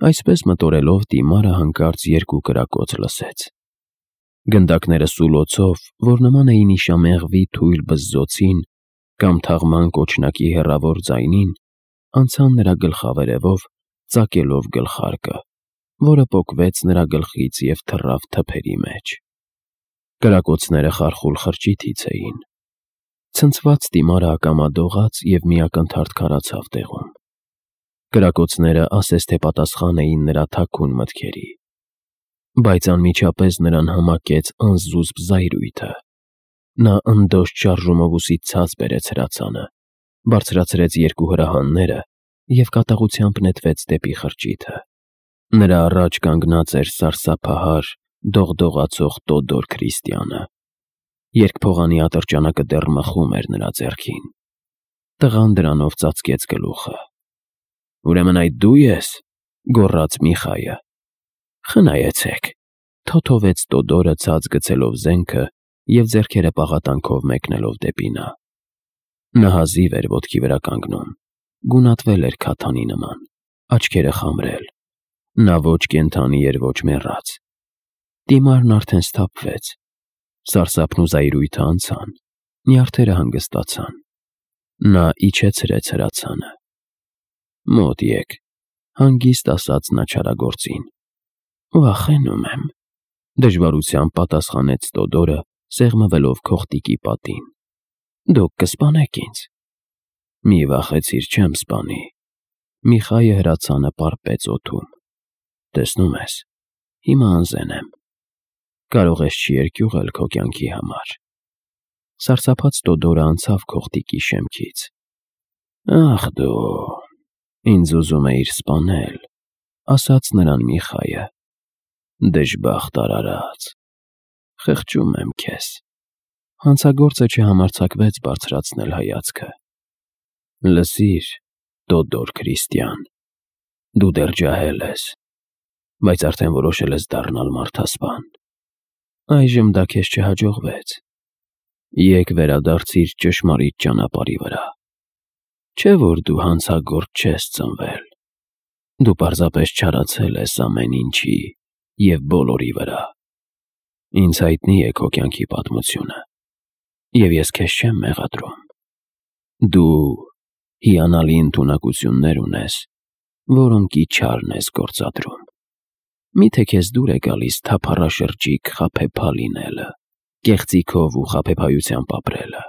Այսպես մտորելով Տիմարը հանկարծ երկու կրակոց լսեց։ Գնդակները սուլոցով, որ նման էին իշամեղվի թույլ բզզոցին կամ թաղման կոչնակի հեռավոր ձայնին, անցան նրա գլխավերևով, ծակելով գլխարկը, որը պոկվեց նրա գլխից և թռավ թփերի մեջ։ Կրակոցները խարխուլ խրճիթից էին։ Ցնցված Տիմարը ակամա դողաց և մի ակնթարթ քարացավ տեղում։ Կրակոցները ասես թե պատասխան էին նրա թաքուն մտքերի։ Բայց անմիջապես նրան համակեց անզուսպ զայրույթը։ Նա ընդոշ շարժումով ուսից ցած բերեց հրացանը, բարձրացրեց երկու հրահանները և կատաղությամբ նետվեց դեպի խրճիթը։ Նրա առաջ կանգնած էր սարսափահար, դողդողացող Տոդոր Քրիստիանը։ Երկփողանի ատրճանակը դեռ մխում էր նրա ձեռքին։ Տղան դրանով ծածկեց գլուխը։ «Ուրեմն այդ դու ես», գոռաց Միխայը։ «Խնայեցեք», թոթովեց Տոդորը ցած գցելով զենքը և ձեռքերը պաղատանքով մեկնելով դեպի նա։ Նա հազիվ էր ոտքի վրա կանգնում, գունատվել էր քաթանի նման, աչքերը խամրել։ Նա ոչ կենդանի էր, ոչ մեռած։ Տիմարն արդեն սթափվեց։ Սարսափն ու զայրույթը անցան, նյարդերը հանգստացան։ Նա իջեցրեց հրացանը։ «Մոտ եկ», հանգիստ ասաց նա չարագործին։ «Վախենում եմ», դժվարությամբ պատասխանեց Տոդորը, սեղմվելով քողտիկի պատին։ «Դուք կսպանեք ինձ»։ «Մի վախեցիր, չեմ սպանի»։ Միխայը հրացանը պարպեց օդում։ «Տեսնում ես, հիմա անզեն եմ։ Կարող ես չերկյուղել քո կյանքի համար»։ Սարսափած Տոդորը անցավ քողտիկի շեմքից։ «Ախ դու, ինձ ուզում էիր սպանել», ասաց նրան Միխայը։ «Դժբախտ արարած, խղճում եմ քեզ»։ Հանցագործը չհամարձակվեց բարձրացնել հայացքը։ «Լսիր, Տոդոր Քրիստիան, դու դեռ ջահել ես, բայց արդեն որոշել ես դառնալ մարդասպան։ Այժմ դա քեզ չհաջողվեց։ Եկ վերադարձիր ճշմարիտ ճանապարհի վրա։ Չէ՞ որ դու հանցագործ չես ծնվել։ Դու պարզապես չարացել ես ամեն ինչի և բոլորի վրա։ Ինձ հայտնի է քո կյանքի պատմությունը, և ես քեզ չեմ մեղադրում։ Դու հիանալի ընդունակություններ ունես, որոնքի չարն ես գործադրում։ Մի՞թե քեզ դուր է գալիս թափառաշրջիկ խաբեբա լինելը, կեղծիքով ու խաբեբայությամբ ապրելը։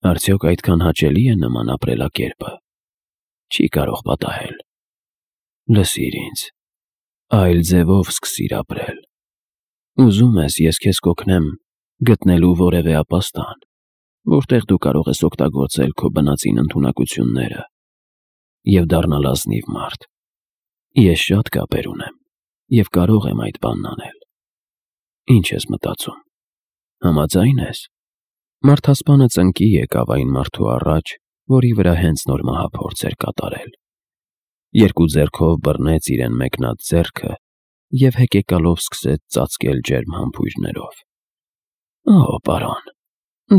Արդյոք այդքան հաճելի է նման ապրելակերպը։ Չի կարող պատահել։ Լսիր ինձ, այլ ձևով սկսիր ապրել։ Ուզում ես, ես քեզ կօգնեմ գտնելու որևէ ապաստան, որտեղ դու կարող ես օգտագործել քո բնածին ընդունակությունները և դառնալ ազնիվ մարդ։ Ես շատ կապեր ունեմ և կարող եմ այդ բանն անել։ Ինչ ես մտածում, համաձայն ես։ Մարդասպանը ծնկի եկավ այն մարդու առաջ, որի վրա հենց նոր մահափորձ էր կատարել։ Երկու ձեռքով բռնեց իրեն մեկնած ձեռքը և հեկեկալով սկսեց ծածկել ջերմ համբույրներով։ Օ, պարոն,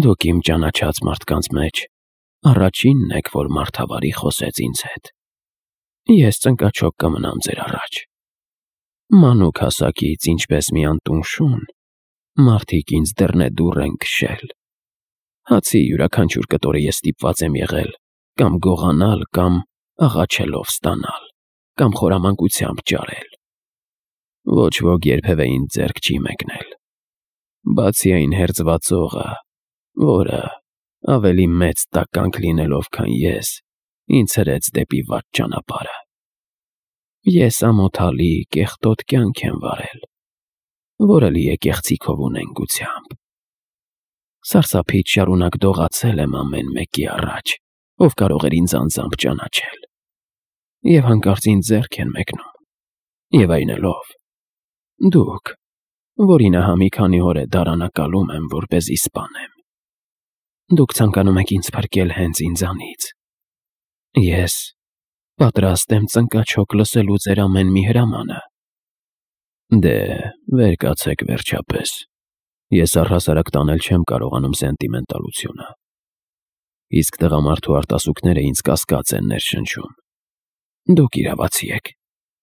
դուք իմ ճանաչած մարդկանց մեջ առաջինն եք, որ մարդավարի խոսեց ինձ հետ։ Ես ծնկաչոք կմնամ ձեր առաջ։ Մանուկ հասակից, ինչպես մի անտուն շուն, մարդիկ ինձ դռնեդուռ են քշել։ Հացի յուրաքանչյուր կտորը ես ստիպված եմ եղել կամ գողանալ, կամ աղաչելով ստանալ, կամ խորամանկությամբ ճարել։ Ոչ ոք երբևէ ինձ ձեռք չի մեկնել, բացի այն հերձվածողը, որը, ավելի մեծ տականք լինելով, քան ես, ինձ հրեց դեպի վատ ճանապարհը։ Ես ամոթալի, կեղտոտ կյանք եմ վարել, որը լի է կեղծիքով ու նենգությամբ։ Սարսափից շարունակ դողացել եմ ամեն մեկի առաջ, ով կարող էր ինձ անձամբ ճանաչել։ Եվ հանկարծ ինձ ձեռք են մեկնում, և այնելով։ Դուք, որին ահա մի քանի օր է դարանակալում եմ, որպեսզի սպանեմ։ Դուք ցանկանում եք ինձ փրկել հենց ինձանից։ Ես պատրաստ եմ ծնկաչոք լսելու ձեր ամեն մի հրամանը։ Դե, վեր կացեք վերջապես։ Ես առհասարակ տանել չեմ կարողանում սենտիմենտալությունը։ Իսկ տղամարդու արտասուքները ինձ կասկած են ներշնչում։ Դուք իրավացի եք,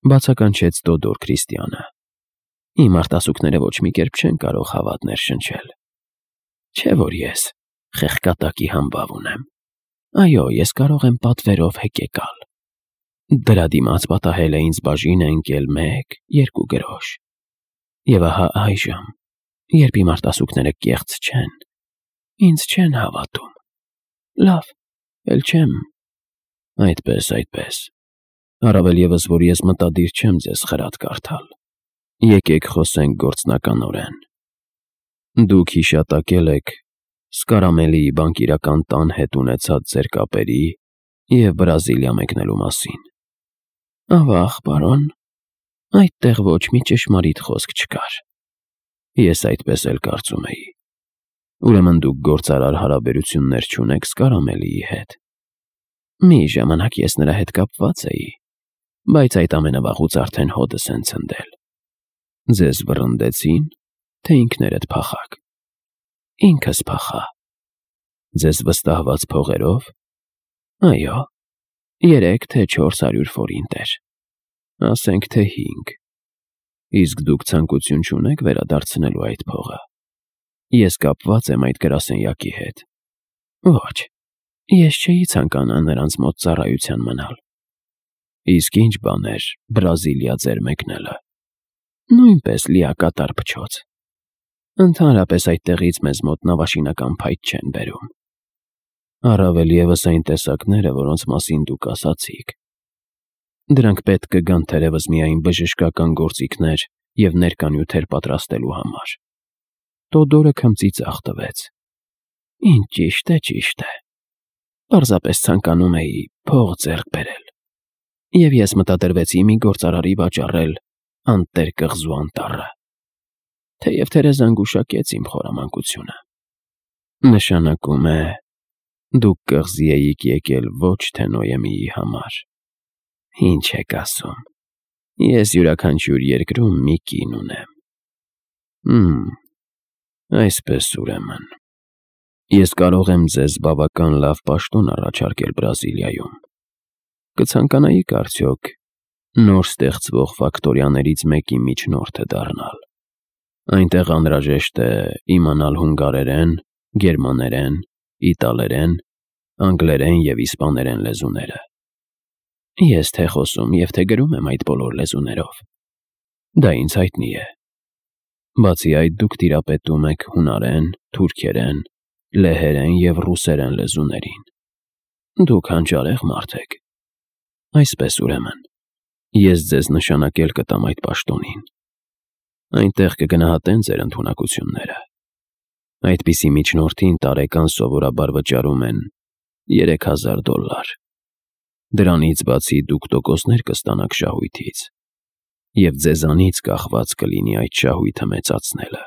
Բացականչեց Տոդոր Քրիստիանը։ Իմ արտասուքները ոչ մի կերպ չեն կարող հավատ ներշնչել։ Չէ՞ որ ես խեղկատակի համբավ ունեմ։ Այո, ես կարող եմ պատվերով հեկեկալ։ Դրա դիմաց պատահել է ինձ բաժինը ընկել 1-2 գրոշ։ Եվ ահա այժմ, երբ իմ արտասուքները կեղծ չեն, ինձ չեն հավատում։ Լավ, էլ չեմ։ Այդպես։ Առավել ևս, որ ես մտադիր չեմ ձեզ խրատ կարդալ։ Եկեք խոսենք գործնականորեն։ Դուք հիշատակել եք Սկարամելիի բանկիրական տան հետ ունեցած ձեր կապերի և Բրազիլիա մեկնելու մասին։ Ավաղ, պարոն, այդտեղ ոչ մի ճշմարիտ խոսք չկար։ Ես այդպես էլ կարծում էի։ Ուրեմն դուք գործարար հարաբերություններ չունեք Սկարամելիի հետ։ Մի ժամանակ ես նրա հետ կապված էի, բայց այդ ամենավաղուց արդեն հոդս են ցնդել։ Ձեզ վռնդեցի՞ն, թե ինքներդ փախաք։ Ինքս փախա։ Ձեզ վստահված փողերով։ Այո, 3 թե 400 ֆորինտեր։ Ասենք թե 5։ Իսկ դուք ցանկություն չունեք վերադարձնելու այդ փողը։ Ես կապված եմ այդ գրասենյակի հետ։ Ոչ, ես չէի ցանկանա նրանց մոտ ծառայության մնալ։ Իսկ ինչ բան էր Բրազիլիա ձեր մեկնելը։ Նույնպես լիակատար փչոց։ Ընդհանրապես այդտեղից մեզ մոտ նավաշինական փայտ չեն բերում։ Առավել ևս այն տեսակները, որոնց մասին դուք ասացիք։ Դրանք պետք կգան թերևս միայն բժշկական գործիքներ և ներկանյութեր պատրաստելու համար։ Տոդորը քմծիծաղ տվեց։ Ինչ ճիշտ է։ Պարզապես ցանկանում էի փող ձեռք բերել։ Եվ ես մտադրվեցի մի գործարարի վաճառել անտեր կղզու անտառը։ Թեև Թերեզան գուշակեց իմ խորամանկությունը։ Նշանակում է, դուք կղզի էիք եկել ոչ թե Նոյեմիի համար։ Ինչ եք ասում։ Ես յուրաքանչյուր երկրում մի կին ունեմ։ Այսպես ուրեմն։ Ես կարող եմ ձեզ բավական լավ պաշտոն առաջարկել Բրազիլիայում։ Կցանկանայիք արդյոք նոր ստեղծվող ֆակտորիաներից մեկի միջնորդը դառնալ։ Այնտեղ անհրաժեշտ է իմանալ հունգարերեն, գերմաներեն, իտալերեն, անգլերեն և իսպաներեն լեզուները։ Ես թե խոսում և թե գրում եմ այդ բոլոր լեզուներով։ Դա ինձ հայտնի է։ Բացի այդ, դուք տիրապետում եք հունարեն, թուրքերեն, լեհերեն և ռուսերեն լեզուներին։ Դուք հանճարեղ մարդ եք։ Այսպես ուրեմն, ես ձեզ նշանակել կտամ այդ պաշտոնին։ Այնտեղ կգնահատեն ձեր ընդունակությունները։ Այդպիսի միջնորդին տարեկան սովորաբար վճարում են $3000։ Դրանից բացի դուք տոկոսներ կստանաք շահույթից, և ձեզանից կախված կլինի այդ շահույթը մեծացնելը։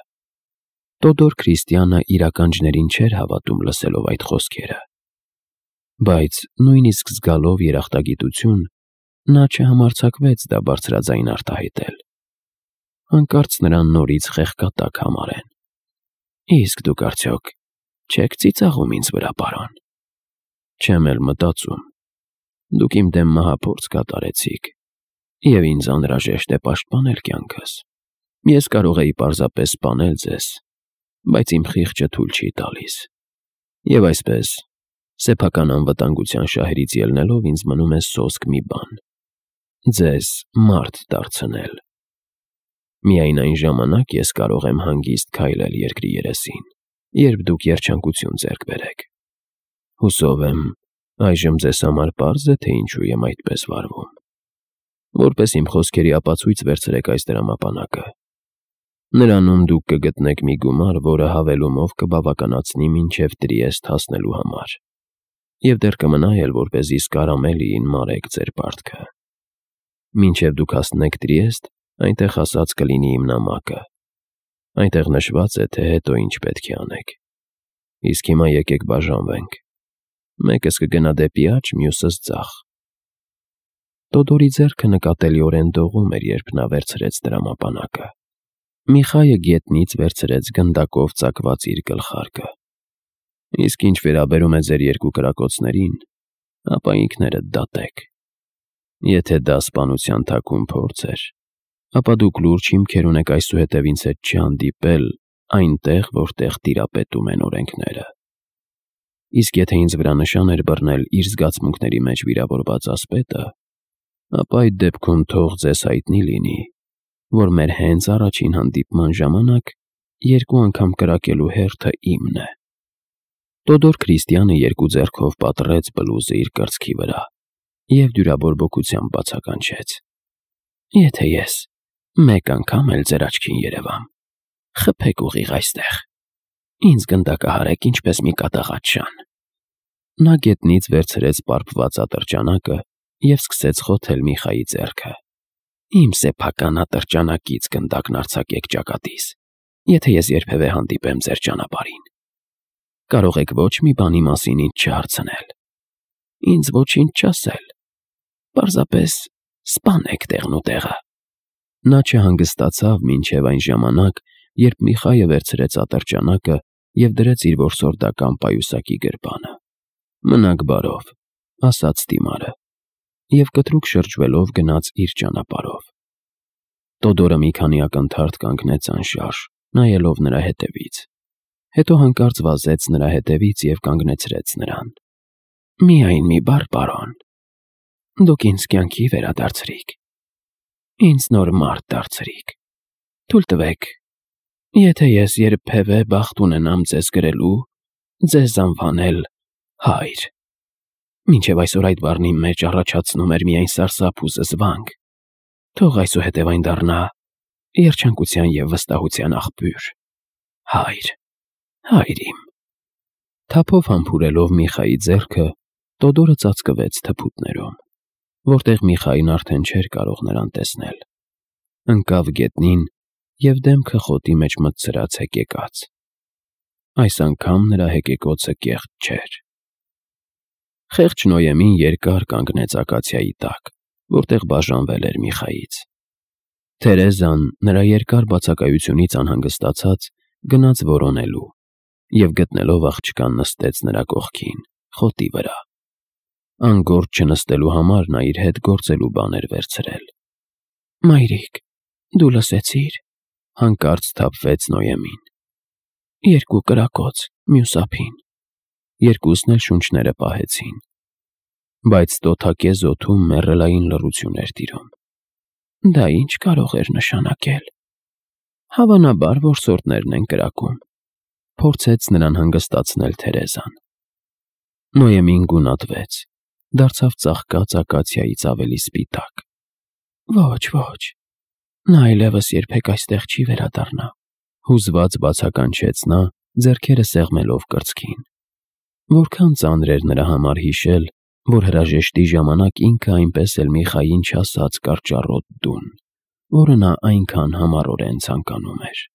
Տոդոր Քրիստիանը իր ականջներին չէր հավատում լսելով այդ խոսքերը։ Բայց նույնիսկ զգալով երախտագիտություն, նա չհամարձակվեց դա բարձրաձայն արտահայտել։ Հանկարծ նրան նորից խեղկատակ համարեն։ Իսկ դուք արդյոք չեք ծիծաղում ինձ վրա, պարոն։ Չեմ էլ մտածում։ Դուք իմ դեմ մահափորձ կատարեցիք, և ինձ անհրաժեշտ է պաշտպանել կյանքս։ Ես կարող էի պարզապես սպանել ձեզ, բայց իմ խիղճը թույլ չի տալիս։ Եվ այսպես, սեփական անվտանգության շահերից ելնելով ինձ մնում է սոսկ մի բան. ձեզ մարդ դարձնել։ Միայն այն ժամանակ ես կարող եմ հանգիստ քայլել երկրի երեսին, երբ դուք երջանկություն ձեռք բերեք։ Հուսով եմ, այժմ ձեզ համար պարզ է, թե ինչու եմ այդպես վարվում։ Որպես իմ խոսքերի ապացույց վերցրեք այս դրամապանակը։ Նրանում դուք կգտնեք մի գումար, որը հավելումով կբավականացնի մինչև Տրիեստ հասնելու համար, և դեռ կմնա էլ, որպեսզի Սկարամելիին մարեք ձեր պարտքը։ Մինչև դուք հասնեք Տրիեստ, այնտեղ ասած կլինի իմ նամակը։ Այնտեղ նշված է, թե հետո ինչ պետք է անեք։ Իսկ հիմա եկեք բաժանվենք։ Մեկս կգնա դեպի աջ, մյուսս ձախ։ Տոդորի ձեռքը նկատելիորեն դողում էր, երբ նա վերցրեց դրամապանակը։ Միխայը գետնից վերցրեց գնդակով ծակված իր գլխարկը։ Իսկ ինչ վերաբերում է ձեր երկու կրակոցներին, ապա ինքներդ դատեք։ Եթե դա սպանության թաքուն փորձ էր, ապա դուք լուրջ հիմքեր ունեք այսուհետև ինձ հետ չհանդիպել այնտեղ, որտեղ տիրապետում են օրենքները։ Իսկ եթե ինձ վրա նշան էր բռնել իր զգացմունքների մեջ վիրավորված ասպետը, ապա այդ դեպքում թող ձեզ հայտնի լինի, որ մեր հենց առաջին հանդիպման ժամանակ երկու անգամ կրակելու հերթը իմն է։ Տոդոր Քրիստիանը երկու ձեռքով պատռեց բլուզը իր կրծքի վրա և դյուրաբորբոքությամբ բացականչեց. Եթե ես մեկ անգամ էլ ձեր աչքին երևամ, խփեք ուղիղ այստեղ, ինձ գնդակահարեք ինչպես մի կատաղած շան։ Նա գետնից վերցրեց պարփված ատրճանակը և սկսեց խոթել Միխայի ձեռքը։ Իմ սեփական ատրճանակից գնդակն արձակեք ճակատիս, եթե ես երբևէ հանդիպեմ ձեր ճանապարհին։ Կարող եք ոչ մի բանի մասին ինձ չհարցնել, ինձ ոչինչ չասել, պարզապես սպանեք տեղն ու տեղը։ Նա չհանգստացավ մինչև այն ժամանակ, երբ Միխայը վերցրեց ատրճանակը և դրեց իր որսորդական պայուսակի գրպանը։ Մնաք բարով, ասաց դիմարը, և կտրուկ շրջվելով գնաց իր ճանապարհով։ Տոդորը մի քանի ակնթարթ կանգնեց անշարժ, նայելով նրա հետևից։ Հետո հանկարծ վազեց նրա հետևից և կանգնեցրեց նրան։ Միայն մի բառ, պարոն, դուք ինձ կյանքի վերադարձրիք, ինձ նոր մարդ դարձրիք։ Թույլ տվեք, եթե ես երբևէ բախտ ունենամ ձեզ գրելու, ձեզ անվանել հայր։ Մինչև այսօր այդ բառն իմ մեջ առաջացնում էր միայն սարսափ ու զզվանք, թող այսուհետև այն դառնա երջանկության և վստահության աղբյուր։ Հայր, հայր իմ։ Թափով համբուրելով Միխայի ձեռքը, Տոդորը ծածկվեց թփուտներում, որտեղ Միխային արդեն չէր կարող նրան տեսնել։ Ընկավ գետնին և դեմքը խոտի մեջ մտցրած հեկեկաց։ Այս անգամ նրա հեկեկոցը կեղծ չէր։ Խեղճ Նոյեմին երկար կանգնեց ակացիայի տակ, որտեղ բաժանվել էր Միխայից։ Թերեզան, նրա երկար բացակայությունից անհանգստացած, գնաց որոնելու և գտնելով աղջկան նստեց նրա կողքին, խոտի վրա։ Անգործ չնստելու համար նա իր հետ գործելու բան էր վերցրել։ Մայրիկ, դու լսեցի՞ր, հանկարծ սթափվեց Նոյեմին։ Երկու կրակոց, մյուս ափին։ Երկուսն էլ շունչները պահեցին։ Բայց տոթակեզ օդում մեռելային լռություն էր տիրում։ Դա ի՞նչ կարող էր նշանակել։ Հավանաբար որսորդներն են կրակում, փորձեց նրան հանգստացնել Թերեզան։ Նոյեմին գունատվեց, դարձավ ծաղկած ակացիայից ավելի սպիտակ։ Ոչ, ոչ, նա այլևս երբեք այստեղ չի վերադառնա, հուզված բացականչեց նա, ձեռքերը սեղմելով կրծքին։ Որքան ծանր էր նրա համար հիշել, որ հրաժեշտի ժամանակ ինքը այնպես էլ Միխային չասաց կարճառոտ դուն, որը նա այնքան համառորեն ցանկանում էր։